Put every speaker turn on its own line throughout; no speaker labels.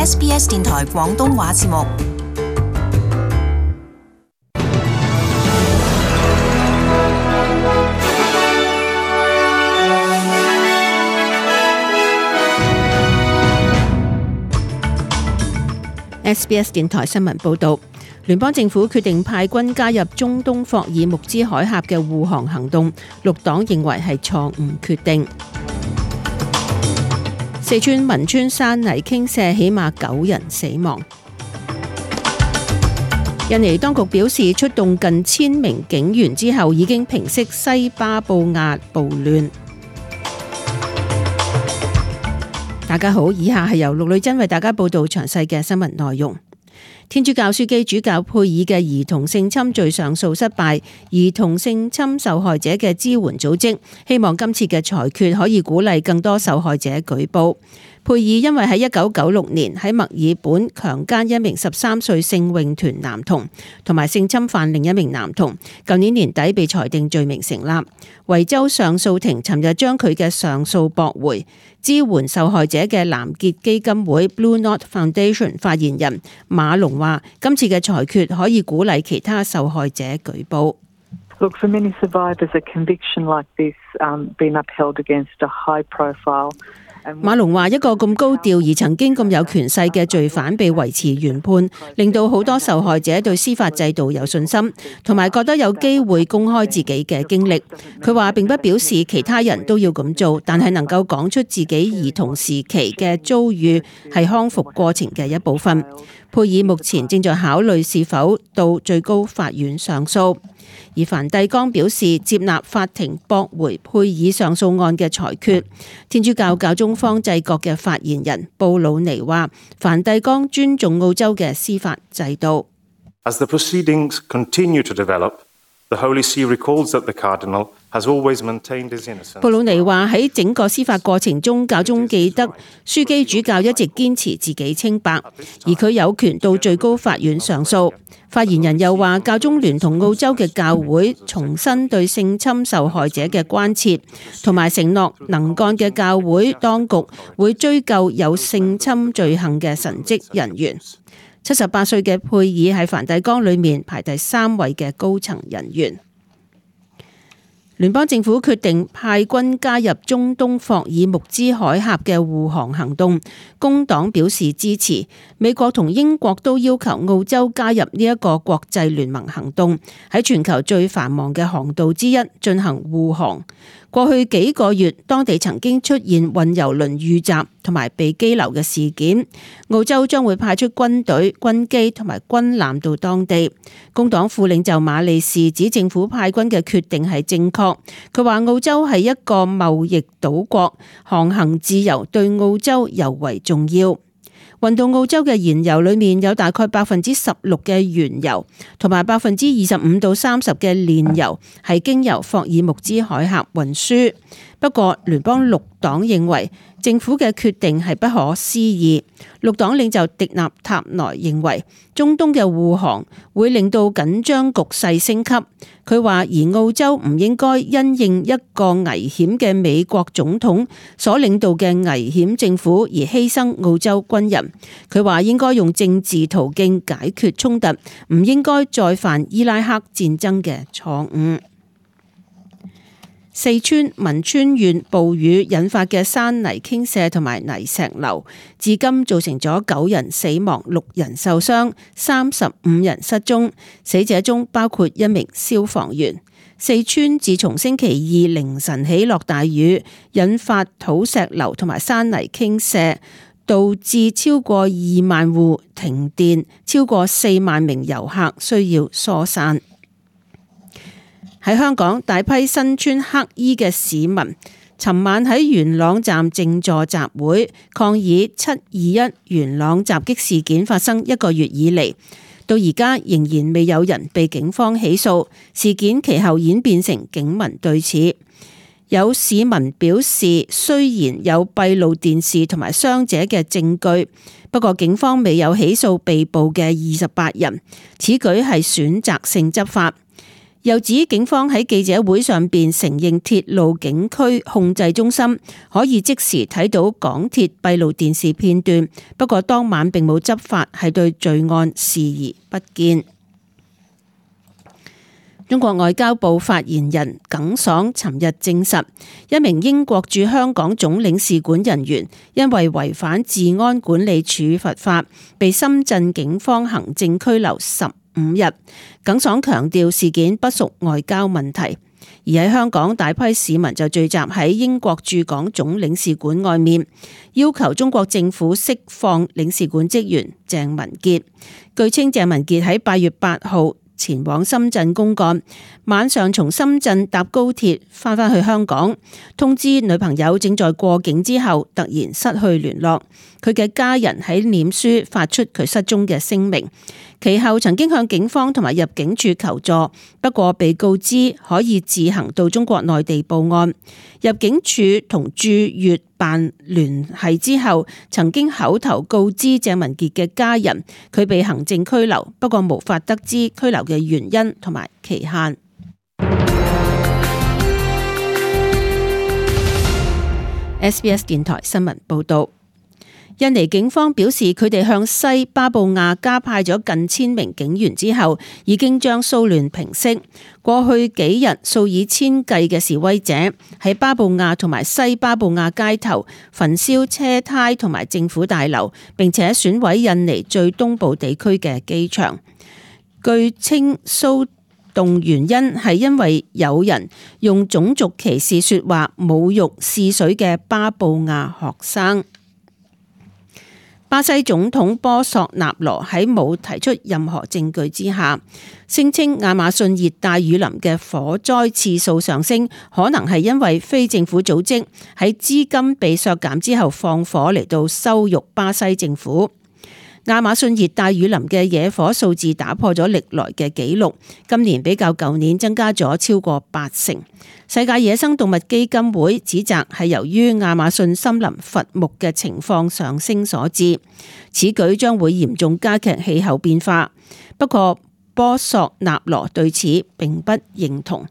SBS 電台廣東話節目。
SBS 電台新聞報導，聯邦政府決定派軍加入中東霍爾木茲海峽嘅護航行動，綠黨認為係錯誤決定。四川汶川山泥傾瀉，起碼9人死亡。印尼當局表示，出動近1000名警員之後，已經平息西巴布亞暴亂。大家好，以下係由陸女珍為大家報道詳細嘅新聞內容。天主教樞機主教佩爾嘅兒童性侵罪上訴失敗，兒童性侵受害者嘅支援組織希望今次嘅裁決可以鼓勵更多受害者舉報。佩爾因為喺1996年喺墨爾本強姦一名13歲聖詠團男童，同埋性侵犯另一名男童，舊年年底被裁定罪名成立。維州上訴庭尋日將佢嘅上訴駁回。支援受害者嘅藍潔基金會 Blue Knot Foundation 發言人馬龍話：今次嘅裁決可以鼓勵其他受害者舉報。
Look, for many survivors, a conviction like this been upheld against a high profile.
馬龍話：一個咁高調而曾經咁有權勢嘅罪犯被維持原判，令到好多受害者對司法制度有信心，同埋覺得有機會公開自己嘅經歷。佢話並不表示其他人都要咁做，但係能夠講出自己兒童時期嘅遭遇係康復過程嘅一部分。佩爾目前正在考慮是否到最高法院上訴。而梵蒂岡表示接納法庭駁回佩爾上訴案嘅裁決。天主教教宗方濟各嘅發言人布魯尼話：梵蒂岡尊重澳洲嘅司法制度。
As the proceedings continue to develop, the Holy See recalls that the Cardinal has always maintained his innocence.
布魯尼話喺整個司法過程中，教宗記得樞機主教一直堅持自己清白，而佢有權到最高法院上訴。發言人又話，教宗聯同澳洲嘅教會重申對性侵受害者嘅關切，同埋承諾能幹嘅教會當局會追究有性侵罪行嘅神職人員。78歲嘅佩爾喺梵蒂岡裏面排第3位嘅高層人員。聯邦政府決定派軍加入中東霍爾木茲海峽嘅護航行動，工黨表示支持。美國同英國都要求澳洲加入呢一個國際聯盟行動，喺全球最繁忙嘅航道之一進行護航。過去幾個月，當地曾經出現運油輪遇襲同埋被羈留嘅事件。澳洲將會派出軍隊、軍機同埋軍艦到當地。工黨副領袖馬利士指政府派軍嘅決定係正確。佢話澳洲係一個貿易島國，航行自由對澳洲尤為重要。運到澳洲嘅燃油裏面有大概16%嘅原油，同埋25%到30%嘅煉油係經由霍爾木茲海峽運輸。不過聯邦綠黨認為政府嘅決定係不可思議。綠黨領袖迪納塔萊認為中東嘅護航會令到緊張局勢升級。佢話而澳洲唔應該因應一個危險嘅美國總統所領導嘅危險政府而犧牲澳洲軍人。佢話應該用政治途徑解決衝突，唔應該再犯伊拉克戰爭嘅錯誤。四川汶川縣暴雨引發嘅山泥傾瀉同埋泥石流，至今造成咗9人死亡、6人受傷、35人失蹤，死者中包括一名消防員。四川自從星期2凌晨起落大雨，引發土石流同埋山泥傾瀉，導致超過2萬戶停電，超過4萬名遊客需要疏散。喺香港，大批身穿黑衣嘅市民尋晚喺元朗站靜坐集會，抗議721元朗襲擊事件發生1個月以嚟，到而家仍然未有人被警方起訴。事件其後演變成警民對峙。有市民表示，雖然有閉路電視同埋傷者嘅證據，不過警方未有起訴被捕嘅28人，此舉係選擇性執法。又指警方喺記者會上邊承認鐵路警區控制中心可以即時睇到港鐵閉路電視片段，不過當晚並冇執法，係對罪案視而不見。中國外交部發言人耿爽尋日證實，一名英國駐香港總領事館人員因為違反治安管理處罰法，被深圳警方行政拘留15日。耿爽強調事件不屬外交問題，而喺香港大批市民就聚集喺英國駐港總領事館外面，要求中國政府釋放領事館職員鄭文傑。據稱鄭文傑喺8月8號前往深圳公幹，晚上從深圳搭高鐵返去香港，通知女朋友正在過境之後突然失去聯絡。佢嘅家人喺臉書發出佢失蹤嘅聲明，其後曾經向警方同埋入境處求助，不過被告知可以自行到中國內地報案。入境處同駐粵辦聯繫之後，曾經口頭告知鄭文傑嘅家人佢被行政拘留，不過無法得知拘留嘅原因同埋期限。SBS 電台新聞報道。印尼警方表示，佢哋向西巴布亞加派咗近1000名警員之後，已經將騷亂平息。過去幾日，數以千計嘅示威者喺巴布亞同埋西巴布亞街頭焚燒車胎同埋政府大樓，並且損毀印尼最東部地區嘅機場。據稱，騷動原因係因為有人用種族歧視說話侮辱試水嘅巴布亞學生。巴西總統波索納羅喺冇提出任何證據之下，聲稱亞馬遜熱帶雨林嘅火災次數上升，可能係因為非政府組織喺資金被削減之後放火嚟到羞辱巴西政府。亞馬遜熱帶雨林嘅野火數字打破咗歷來嘅紀錄，今年比較舊年增加咗超過80%。世界野生動物基金會指責係由於亞馬遜森林伐木嘅情況上升所致，此舉將會嚴重加劇氣候變化。不過波索納羅對此並不認同。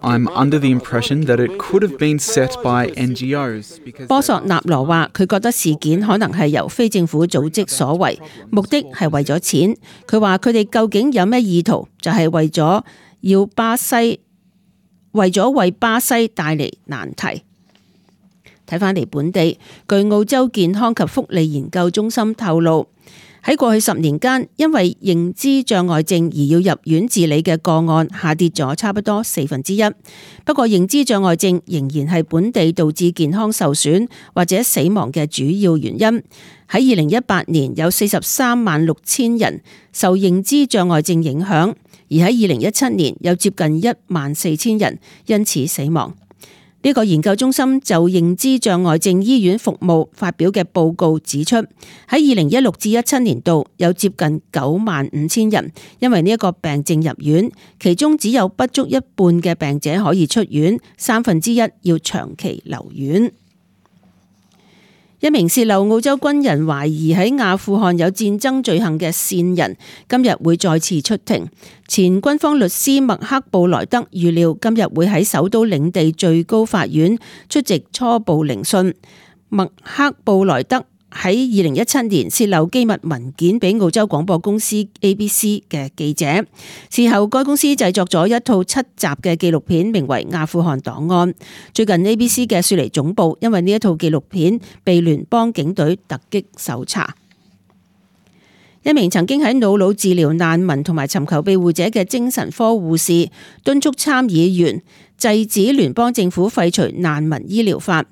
I'm under the impression that it could have been set by NGOs.
波索納羅話佢覺得事件可能係由非政府組織所為，目的係為咗錢。佢話佢哋究竟有咩意圖，就係為咗為巴西帶嚟難題。睇返嚟本地，據澳洲健康及福利研究中心透露，喺過去10年間，因為認知障礙症而要入院治理嘅個案下跌咗差不多1/4。不過，認知障礙症仍然係本地導致健康受損或者死亡嘅主要原因。喺2018年有436000人受認知障礙症影響，而喺2017年有接近14000人因此死亡。呢個研究中心就認知障礙症醫院服務發表嘅報告指出，喺2016至17年度有接近95000人因為呢一個病症入院，其中只有不足一半嘅病者可以出院，1/3要長期留院。一名洩漏澳洲軍人懷疑喺阿富汗有戰爭罪行嘅線人，今日會再次出庭。前軍方律師麥克布萊德預料今日會喺首都領地最高法院出席初步聆訊。麥克布萊德喺2017年洩漏機密文件俾澳洲廣播公司 ABC 嘅記者，事後該公司製作咗一套7集嘅紀錄片，名為《阿富汗檔案》。最近 ABC 嘅雪梨總部因為呢一套紀錄片被聯邦警隊突擊搜查。一名曾經喺瑙魯治療難民同埋尋求庇護者嘅精神科護士敦促參議員制止聯邦政府廢除難民醫療法。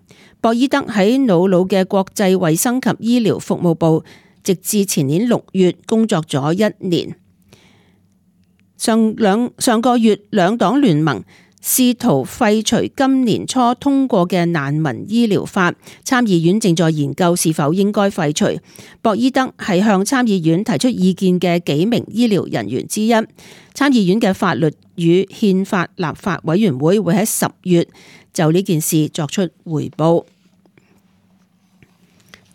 博伊德喺瑙魯嘅國際衛生及醫療服務部，直至前年6月工作咗1年。上個月兩黨聯盟試圖廢除今年初通過嘅難民醫療法，參議院正在研究是否應該廢除。博伊德係向參議院提出意見嘅幾名醫療人員之一。參議院嘅法律與憲法立法委員會會喺10月就呢件事作出回報。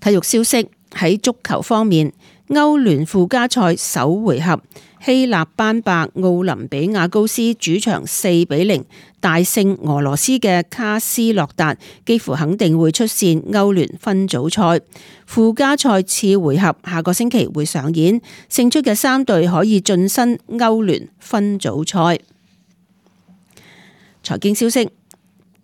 體育消息，喺足球方面，歐聯附加賽首回合希臘班霸奧林比亞高斯主場4-0大勝俄羅斯嘅卡斯洛達，幾乎肯定會出線歐聯分組賽。附加賽次回合下個星期會上演，勝出嘅3隊可以晉身歐聯分組賽。財經消息。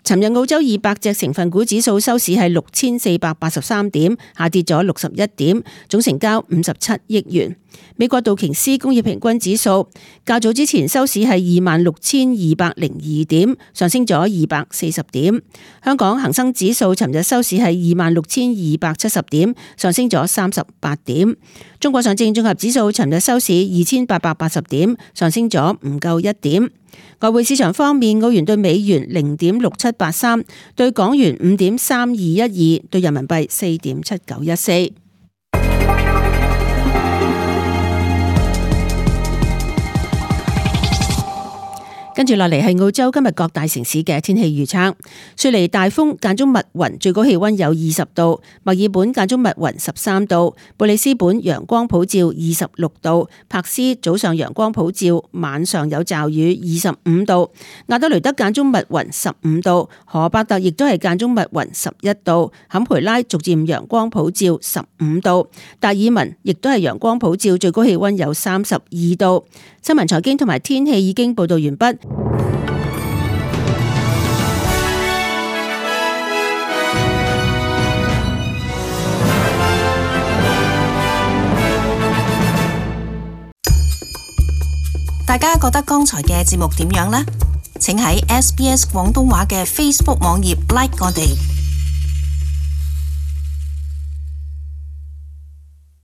尋日澳洲200隻成分股指數收市係6483點，下跌咗61點，總成交57億元。美國道瓊斯工業平均指數較早之前收市係26,202點，上升咗240點。香港恒生指數尋日收市係26,270點，上升咗38點。中國上證綜合指數尋日收市2880點，上升咗唔夠1點。外匯市場方面，澳元對美元0.6783，對港元5.3212，對人民幣4.7914。跟住落嚟係澳洲今日各大城市嘅天氣預測。雪梨大風間中密雲，最高氣溫有20度；墨爾本間中密雲13度；布里斯本陽光普照26度；柏斯早上陽光普照，晚上有驟雨25度；亞德雷德間中密雲15度；荷伯特亦都係間中密雲11度；坎培拉逐漸陽光普照15度；達爾文亦都係陽光普照，最高氣溫有32度。新聞財經同埋天氣已經報道完畢。
大家覺得剛才嘅節目點樣呢？請喺SBS 廣東話嘅 Facebook 網頁 like 我哋。